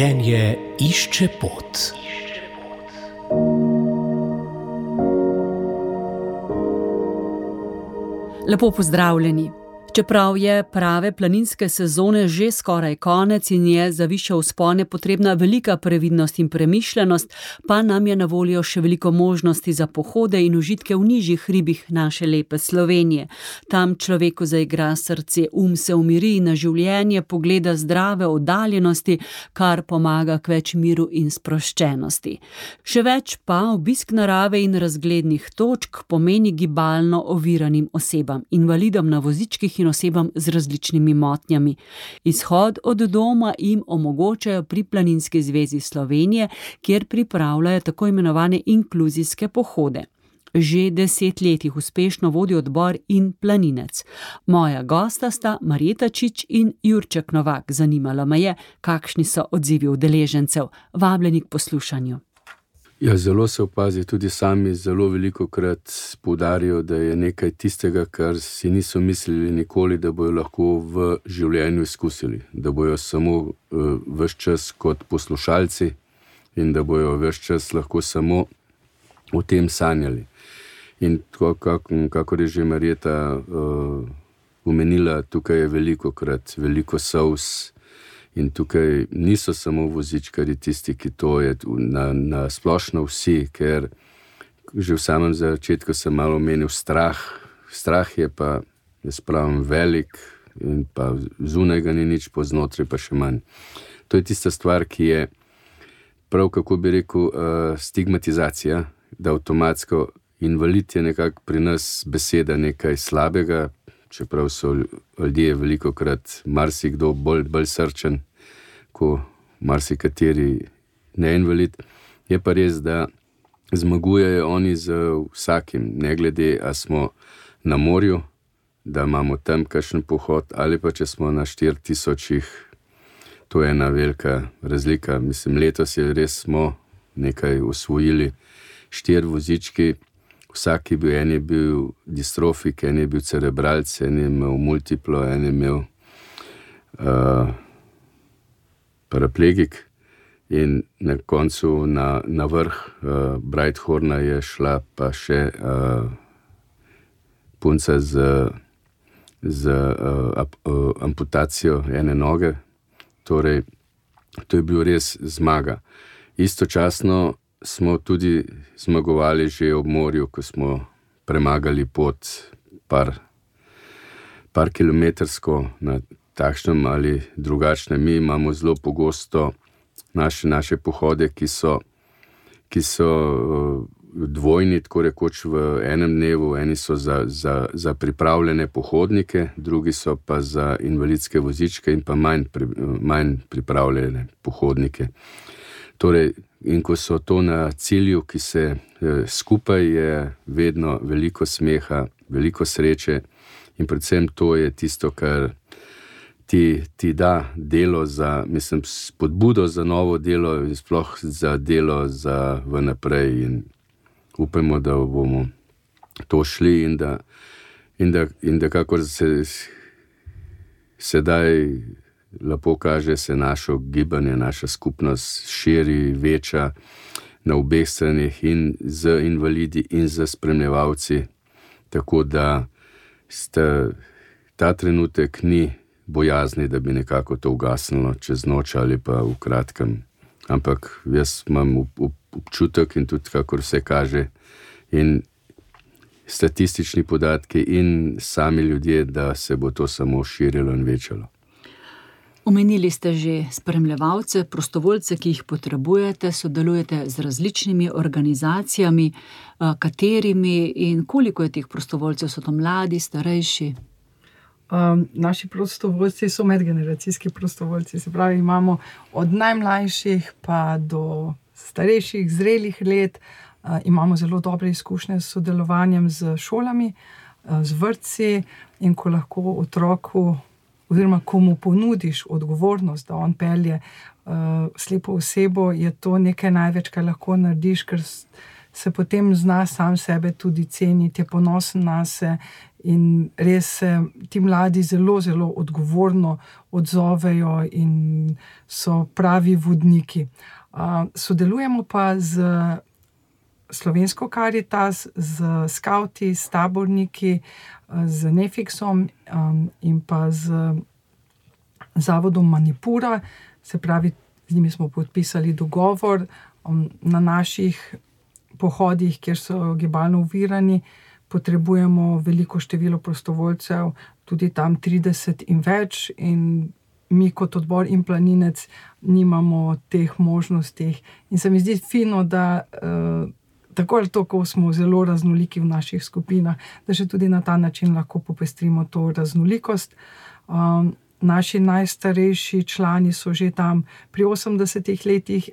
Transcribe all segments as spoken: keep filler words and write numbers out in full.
Življenje išče pot. Lepo pozdravljeni. Čeprav je prave planinske sezone že skoraj konec in je za višje vzpone potrebna velika previdnost in premišljenost, pa nam je na voljo še veliko možnosti za pohode in užitke v nižjih hribih naše lepe Slovenije. Tam človeku zaigra srce, um se umiri in na življenje pogleda zdrave oddaljenosti, kar pomaga k več miru in sproščenosti. Še več pa obisk narave in razglednih točk pomeni gibalno oviranim osebam, invalidom na vozičkih in osebam z različnimi motnjami. Izhod od doma jim omogočajo pri Planinski zvezi Slovenije, kjer pripravljajo tako imenovane inkluzijske pohode. Že deset let jih uspešno vodi odbor In planinec. Moja gosta sta Marjeta Čič in Jurček Novak. Zanimalo me je, kakšni so odzivi udeležencev. Vabljeni k poslušanju. Ja, zelo se opazi, tudi sami zelo velikokrat poudarijo, da je nekaj tistega, kar si niso mislili nikoli, da bojo lahko v življenju izkusili. Da bojo samo uh, ves čas kot poslušalci in da bojo ves čas lahko samo o tem sanjali. In tako, kakor je že Marjeta uh, omenila, tukaj je velikokrat veliko solz. In tukaj niso samo vozičkarji tisti, ki to je na, na splošno vsi, ker že v samem začetku sem malo omenil strah. Strah je pa, jaz pravim, velik in pa zunaj ga ni nič, po znotraj pa še manj. To je tista stvar, ki je prav, kako bi rekel, uh, stigmatizacija, da avtomatsko invalid je nekako pri nas beseda nekaj slabega, čeprav so ljudje velikokrat marsikdo bolj, bolj srčen, ko marsikateri neinvalid. Je pa res, da zmagujejo oni z vsakim, ne glede, a smo na morju, da imamo tam kakšen pohod, ali pa če smo na štiri tisočih, to je ena velika razlika. Mislim, letos je res smo nekaj osvojili, štiri vozički. Vsak je bil, en je bil distrofik, en je bil cerebralc, en je imel multiplo, en je imel uh, paraplegik in na koncu na, na vrh uh, Breithorna je šla pa še uh, punca z, z uh, ap, uh, amputacijo ene noge. Torej, to je bil res zmaga. Istočasno smo tudi zmagovali že ob morju, ko smo premagali pot par, par kilometrsko na takšnem ali drugačnem. Mi imamo zelo pogosto naše, naše pohode, ki so, ki so dvojni, tako rekoč v enem dnevu. Eni so za, za, za pripravljene pohodnike, drugi so pa za invalidske vozičke in pa manj, pri, manj pripravljene pohodnike. Torej, in ko so to na cilju, ki se eh, skupaj, je vedno veliko smeha, veliko sreče in predvsem to je tisto, kar ti, ti da delo za, mislim, spodbudo za novo delo in sploh za delo za v naprej in upamo, da bomo to šli in da, in da, in da kakor se sedaj lepo kaže, se našo gibanje, naša skupnost širi, veča na obeh stranih in z invalidi in z spremljevalci, tako da sta, ta trenutek ni bojazni, da bi nekako to ugasnilo čez noč ali pa v kratkem. Ampak jaz imam občutek in tudi kakor vse kaže in statistični podatki in sami ljudje, da se bo to samo širilo in večalo. Omenili ste že spremljevalce, prostovoljce, ki jih potrebujete, sodelujete z različnimi organizacijami, katerimi in koliko je teh prostovoljcev, so to mladi, starejši? Um, naši prostovoljci so medgeneracijski prostovoljci, se pravi, imamo od najmlajših pa do starejših, zrelih let, uh, imamo zelo dobre izkušnje s sodelovanjem z šolami, uh, z vrtci in ko lahko otroku oziroma komu ponudiš odgovornost, da on pelje uh, slepo osebo, je to nekaj največ, kar lahko narediš, ker se potem zna sam sebe tudi ceniti, je ponosen nase in res se ti mladi zelo, zelo odgovorno odzovejo in so pravi vodniki. Uh, sodelujemo pa z Slovensko Karitas, z skavti, s taborniki, z Nefixom um, in pa z zavodom Manipura, se pravi, z njimi smo podpisali dogovor um, na naših pohodih, kjer so gibalno ovirani, potrebujemo veliko število prostovoljcev, tudi tam trideset in več, in mi kot odbor In planinec nimamo teh možnosti. In se mi zdi fino, da uh, tako ali tako smo zelo raznoliki v naših skupinah, da še tudi na ta način lahko popestrimo to raznolikost. Um, naši najstarejši člani so že tam pri osemdesetih letih,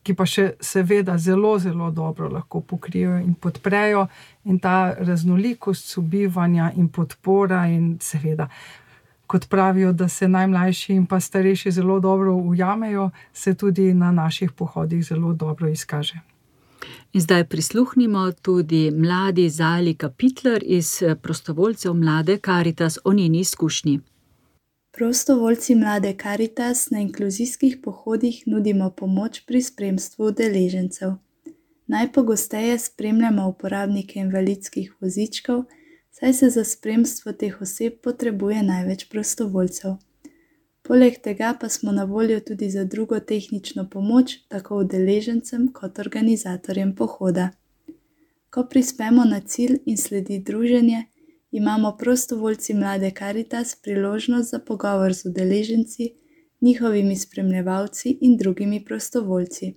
ki pa še seveda zelo, zelo dobro lahko pokrijejo in podprejo, in ta raznolikost sobivanja in podpora in seveda, kot pravijo, da se najmlajši in pa starejši zelo dobro ujamejo, se tudi na naših pohodih zelo dobro izkaže. In zdaj prisluhnimo tudi mladi Zali Kapitler iz prostovoljcev Mlade Karitas o njeni izkušnji. Prostovoljci Mlade Karitas na inkluzijskih pohodih nudimo pomoč pri spremstvu udeležencev. Najpogosteje spremljamo uporabnike invalidskih vozičkov, saj se za spremstvo teh oseb potrebuje največ prostovoljcev. Poleg tega pa smo na voljo tudi za drugo tehnično pomoč, tako udeležencem kot organizatorjem pohoda. Ko prispemo na cilj in sledi druženje, imamo prostovoljci Mlade Karitas priložnost za pogovor z udeleženci, njihovimi spremljevalci in drugimi prostovoljci.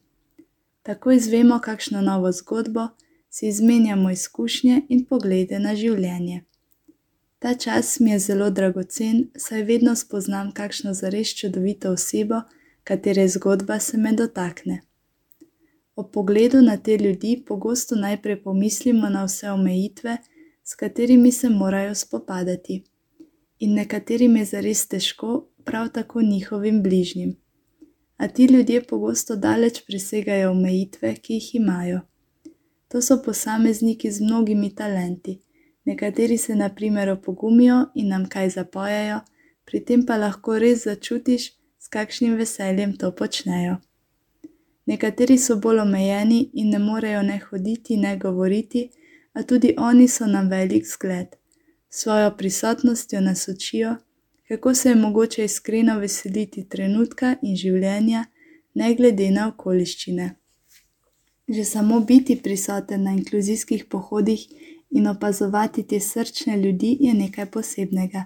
Tako izvemo kakšno novo zgodbo, si izmenjamo izkušnje in poglede na življenje. Ta čas mi je zelo dragocen, saj vedno spoznam kakšno zares čudovito osebo, katere zgodba se me dotakne. Ob pogledu na te ljudi pogosto najprej pomislimo na vse omejitve, s katerimi se morajo spopadati. In nekaterim je zares težko, prav tako njihovim bližnjim. A ti ljudje pogosto daleč presegajo omejitve, ki jih imajo. To so posamezniki z mnogimi talenti. Nekateri se na primer opogumijo in nam kaj zapojejo, pri tem pa lahko res začutiš, s kakšnim veseljem to počnejo. Nekateri so bolj omejeni in ne morejo ne hoditi, ne govoriti, a tudi oni so nam velik zgled. Svojo prisotnostjo nas učijo, kako se je mogoče iskreno veseliti trenutka in življenja, ne glede na okoliščine. Že samo biti prisoten na inkluzijskih pohodih in opazovati te srčne ljudi je nekaj posebnega.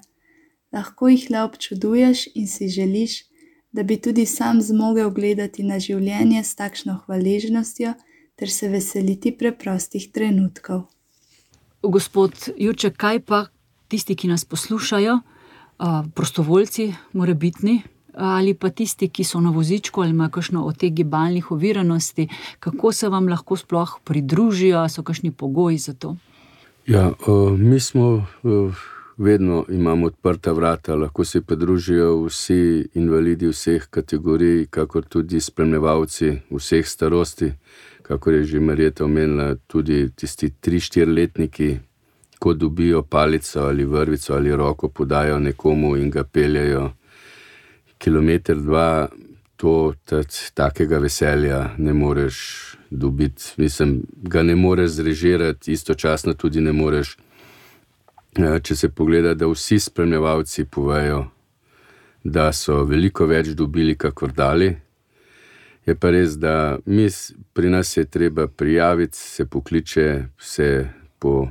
Lahko jih le občuduješ in si želiš, da bi tudi sam zmogel gledati na življenje s takšno hvaležnostjo ter se veseliti preprostih trenutkov. Gospod Jurček, kaj pa tisti, ki nas poslušajo, prostovoljci morebitni, ali pa tisti, ki so na vozičku ali imajo kakšno od teh gibalnih oviranosti, kako se vam lahko sploh pridružijo, so kakšni pogoji za to? Ja, mi smo, vedno imamo odprta vrata, lahko se pridružijo vsi invalidi vseh kategorij, kakor tudi spremljevalci vseh starosti, kakor je že Marjeta omenila, tudi tisti tri štiriletniki, ko dobijo palico ali vrvico ali roko, podajo nekomu in ga peljajo kilometer, dva, to takega veselja ne moreš dobiti. Mislim, ga ne moreš zrežirati, istočasno tudi ne moreš, če se pogleda, da vsi spremljevalci povejo, da so veliko več dobili, kakor dali. Je pa res, da mi, pri nas je treba prijaviti, se pokliče, se po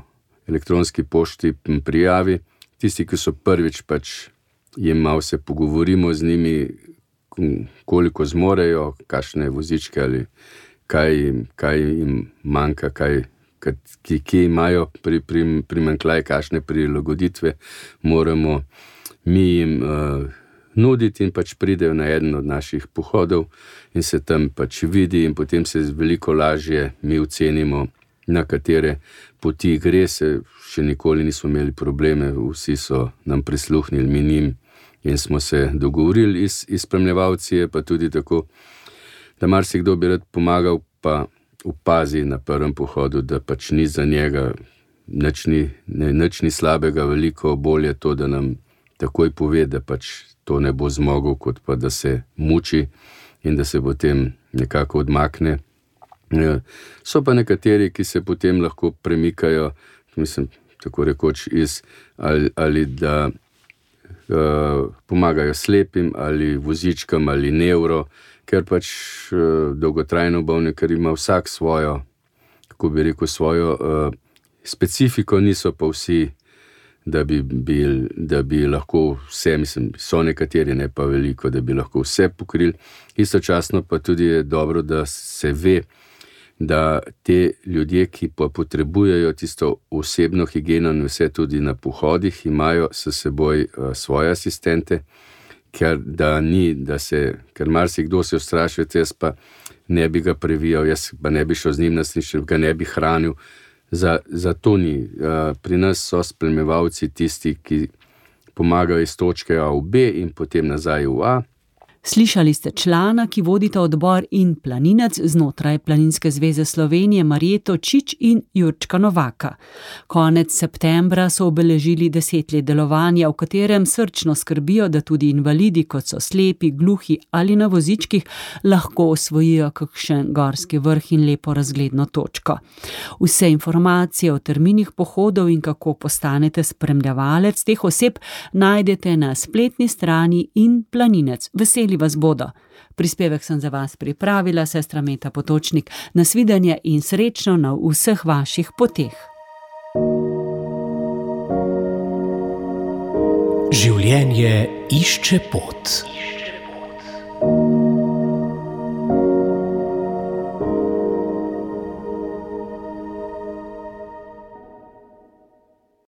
elektronski pošti prijavi. Tisti, ki so prvič, pač jim malo se pogovorimo z njimi, koliko zmorejo, kakšne vozičke ali kaj, kaj jim manjka, kaj, ki, ki imajo pri, pri, primanjkljaj, kakšne prilagoditve moramo mi jim uh, nuditi, in pač pridejo na eden od naših pohodov in se tam pač vidi, in potem se veliko lažje mi ocenimo, na katere poti gre. Se še nikoli nismo imeli probleme, vsi so nam prisluhnili, mi njim, in smo se dogovorili. Iz, iz spremljevalci je pa tudi tako, da marsikdo bi rad pomagal, pa opazi na prvem pohodu, da pač ni za njega nič ni, ne, nič ni slabega, veliko bolje to, da nam takoj pove, da pač to ne bo zmogel, kot pa da se muči in da se potem nekako odmakne. So pa nekateri, ki se potem lahko premikajo, mislim, tako rekoč iz, ali, ali da uh, pomagajo slepim, ali vozičkam, ali nevro, ker pač uh, dolgotrajno bolne, ker ima vsak svojo, kako bi rekel, svojo uh, specifiko, niso pa vsi, da bi, bil, da bi lahko vse, mislim, so nekateri, ne pa veliko, da bi lahko vse pokrili. Istočasno pa tudi je dobro, da se ve, da te ljudje, ki pa potrebujejo tisto osebno higieno in vse tudi na pohodih, imajo s seboj uh, svoje asistente, ker da ni, da se, ker marsikdo se ustraši, jaz pa ne bi ga previjal, jaz pa ne bi šel z njim na slišče, ga ne bi hranil. Za, za to ni. Uh, pri nas so spremljevalci tisti, ki pomagajo iz točke A v B in potem nazaj v A. Slišali ste člana, ki vodita odbor in planinec znotraj Planinske zveze Slovenije Marjeto Čič in Jurčka Novaka. Konec septembra so obeležili deset let delovanja, v katerem srčno skrbijo, da tudi invalidi, kot so slepi, gluhi ali na vozičkih, lahko osvojijo kakšen gorski vrh in lepo razgledno točko. Vse informacije o terminih pohodov in kako postanete spremljevalec teh oseb najdete na spletni strani In planinec. Veseli vas bodo. Prispevek sem za vas pripravila, sestra Meta Potočnik. Nasvidenje in srečno na vseh vaših poteh. Življenje išče pot.